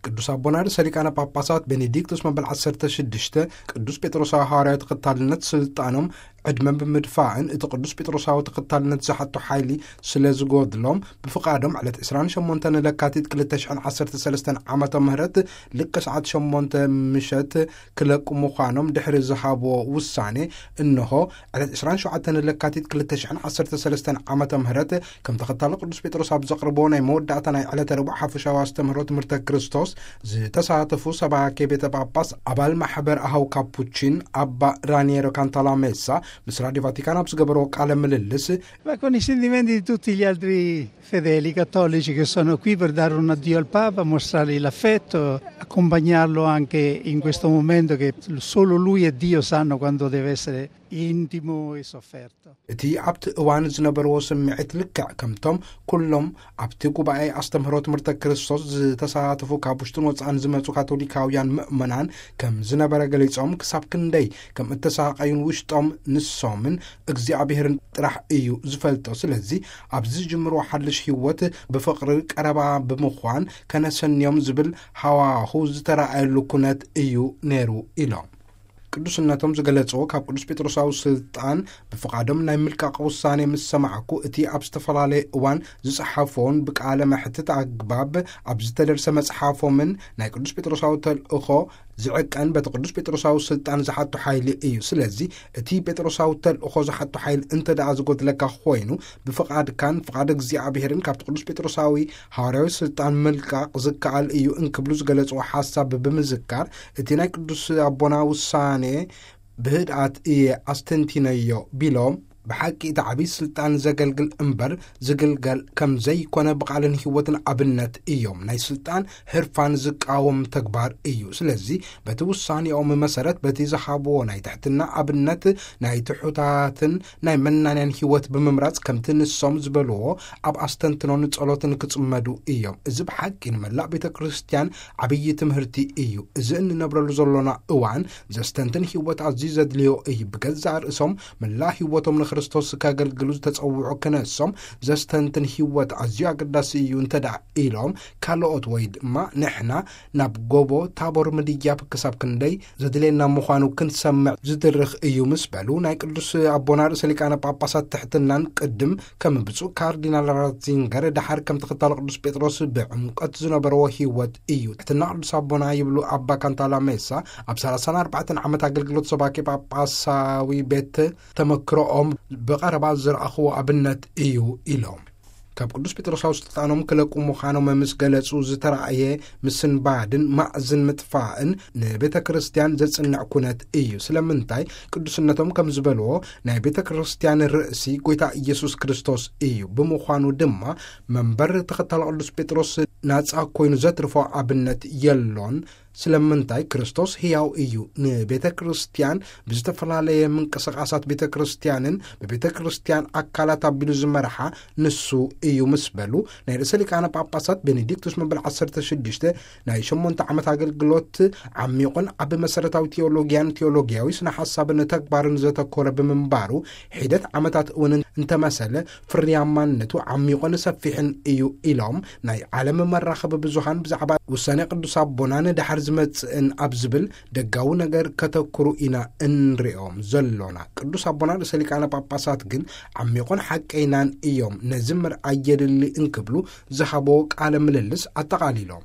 ቅዱስ ኣቦና ርእሰ ሊቃነ ጳጳሳት ቤኔዲክቶስ መበል ዓሰርተ ሽዱሽተ ቅዱስ ጴጥሮሳዊ ሃዋርያዊ ተኸታልነት ስልጣኖም ዕድመን ብምድፋእን እቲ ቅዱስ ጴጥሮሳዊ ተኸታልነት ዝሓቶ ሓይሊ ስለ ዝጎድሎም ብፍቓዶም ዕለት ዕስራን ሸሞንተን ለካቲት ክልተ ሽሕን ዓሰርተ ሰለስተን ዓመተ ምህረት ልክዕ ሰዓት ሸሞንተ ምሸት ክለቁ ምዃኖም ድሕሪ ዝሃብዎ ውሳኔ፣ እንሆ ዕለት ዕስራን ሸውዓተን ለካቲት ክልተ ሽሕን ዓሰርተ ሰለስተን ዓመተ ምህረት ከም ተኸታሊ ቅዱስ ጴጥሮስ ኣብ ዘቕርቦ ናይ መወዳእታ ናይ ዕለተ ረቡዕ ሓፈሻዊ ኣስተምህሮ ትምህርተ ክርስቶስ ዝተሳተፉ ሰባኬ ቤተ ጳጳስ ኣባል ማሕበር ኣሃው ካፑቺን ኣባ ራኒየሮ ካንታላሜሳ ምስ ራዲዮ ቫቲካን ኣብ ዝገበርዎ ቃለ ምልልስ፣ Ma con i sentimenti di tutti gli altri fedeli cattolici che sono qui per dare un addio al Papa, mostrargli l'affetto, accompagnarlo anche in questo momento che solo lui e Dio sanno quanto deve essere intimo e sofferto. እቲ ኣብቲ እዋን ዝነበርዎ ስምዒት ልክዕ ከምቶም ኩሎም ኣብቲ ጉባኤ ኣስተምህሮ ትምህርተ ክርስቶስ ዝተሳተፉ ካብ ውሽጥን ወጻእን ዝመጹ ካቶሊካውያን ምእመናን ከም ዝነበረ ገሊጾም፣ ክሳብ ክንደይ ከም እተሳቀዩን ውሽጦም ንሶምን እግዚኣብሔርን ጥራሕ እዩ ዝፈልጦ። ስለዚ ኣብዚ ዝጅምርዎ ሓድሽ ህይወት ብፍቕሪ ቀረባ ብምዃን ከነሰንዮም ዝብል ሃዋሁ ዝተራእየሉ ኩነት እዩ ነይሩ ኢሎም። ቅዱስነቶም ዝገለጽዎ ካብ ቅዱስ ጴጥሮሳዊ ስልጣን ብፍቓዶም ናይ ምልቃቕ ውሳኔ ምስ ሰማዕኩ፣ እቲ ኣብ ዝተፈላለየ እዋን ዝጸሓፎን ብቃለ መሕትት ኣግባብ ኣብ ዝተደርሰ መጽሓፎምን ናይ ቅዱስ ጴጥሮሳዊ ተልእኾ ዝዕቀን በቲ ቅዱስ ጴጥሮሳዊ ስልጣን ዝሓቶ ሓይሊ እዩ። ስለዚ እቲ ጴጥሮሳዊ ተልእኾ ዝሓቶ ሓይሊ እንተ ደኣ ዝጎድለካ ኮይኑ፣ ብፍቓድካን ፍቓድ እግዚኣብሔርን ካብቲ ቅዱስ ጴጥሮሳዊ ሃዋርያዊ ስልጣን ምልቃቕ ዝከኣል እዩ እንክብሉ ዝገለጽዎ ሓሳብ ብምዝካር፣ እቲ ናይ ቅዱስ ኣቦና ውሳኔ ብህድኣት እየ ኣስተንቲነዮ ቢሎም፣ ብሓቂ እቲ ዓብዪ ስልጣን ዘገልግል እምበር ዝግልገል ከም ዘይኮነ ብቓልን ህይወትን ኣብነት እዮም። ናይ ስልጣን ህርፋን ዝቃወም ተግባር እዩ። ስለዚ በቲ ውሳኔኦም መሰረት በቲ ዝሃብዎ ናይ ትሕትና ኣብነት ናይ ትሑታትን ናይ መናንያን ህይወት ብምምራጽ ከምቲ ንሶም ዝበልዎ ኣብ ኣስተንትኖን ጸሎትን ክጽመዱ እዮም። እዚ ብሓቂ ንመላእ ቤተ ክርስቲያን ዓብዪ ትምህርቲ እዩ። እዚ እንነብረሉ ዘሎና እዋን ዘስተንትን ህይወት ኣዝዩ ዘድልዮ እዩ። ብገዛእ ርእሶም መላእ ህይወቶም ንክርስቶስ ከገልግሉ ዝተጸውዑ ክነሶም ዘስተንትን ህይወት ኣዝዩ ኣገዳሲ እዩ እንተ ደኣ ኢሎም፣ ካልኦት ወይ ድማ ንሕና ናብ ጎቦ ታቦር ምድያብ ክሳብ ክንደይ ዘድልየና ምዃኑ ክንሰምዕ ዝድርኽ እዩ ምስ በሉ፣ ናይ ቅዱስ ኣቦና ርእሰ ሊቃነ ጳጳሳት ትሕትናን ቅድም ከም ብፁዕ ካርዲናል ራትዚንገር ደሓር ከም ተኸታሊ ቅዱስ ጴጥሮስ ብዕምቀት ዝነበርዎ ህይወት እዩ። ትሕትና ቅዱስ ኣቦና ይብሉ ኣባ ካንታላ ሜሳ ኣብ ሰላሳን ኣርባዕተን ዓመት ኣገልግሎት ሰባኬ ጳጳሳዊ ቤት ተመክሮኦም ብቐረባ ዝረኣኽዎ ኣብነት እዩ ኢሎም። ካብ ቅዱስ ጴጥሮሳዊ ስልጣኖም ክለቁ ምዃኖም ምስ ገለጹ ዝተራእየ ምስንባድን ማእዝን ምጥፋእን ንቤተ ክርስቲያን ዘጽንዕ ኩነት እዩ። ስለምንታይ? ቅዱስነቶም ከም ዝበልዎ ናይ ቤተ ክርስቲያን ርእሲ ጐይታ ኢየሱስ ክርስቶስ እዩ። ብምዃኑ ድማ መንበር ተኸታሊ ቅዱስ ጴጥሮስ ናጻ ኮይኑ ዘትርፎ ኣብነት የሎን። ስለምንታይ? ክርስቶስ ህያው እዩ። ንቤተ ክርስቲያን ብዝተፈላለየ ምንቅስቃሳት ቤተ ክርስቲያንን ብቤተ ክርስቲያን ኣካላት ኣቢሉ ዝመርሓ ንሱ እዩ ምስ በሉ፣ ናይ ርእሰ ሊቃነ ጳጳሳት ቤኔዲክቱስ መበል ዓሰርተ ሽዱሽተ ናይ ሸሞንተ ዓመት ኣገልግሎት ዓሚቑን ኣብ መሰረታዊ ቴዎሎጊያን ቴዎሎጊያዊ ስነ ሓሳብን ተግባርን ዘተኮረ ብምንባሩ፣ ሒደት ዓመታት እውን እንተመሰለ ፍርያማነቱ ዓሚቑን ሰፊሕን እዩ ኢሎም፣ ናይ ዓለም መራኸቢ ብዙሃን ብዛዕባ ውሳኔ ቅዱስ ኣቦና ንድሓር ዝመጽእን ኣብ ዝብል ደጋዊ ነገር ከተኩሩ ኢና እንሪኦም ዘሎና። ቅዱስ ኣቦና ርእሰ ሊቃነ ጳጳሳት ግን ዓሚቑን ሓቀይናን እዮም፣ ነዚ ምርኣይ የድሊ እንክብሉ ዝሃቦ ቃለ ምልልስ ኣጠቓሊሎም።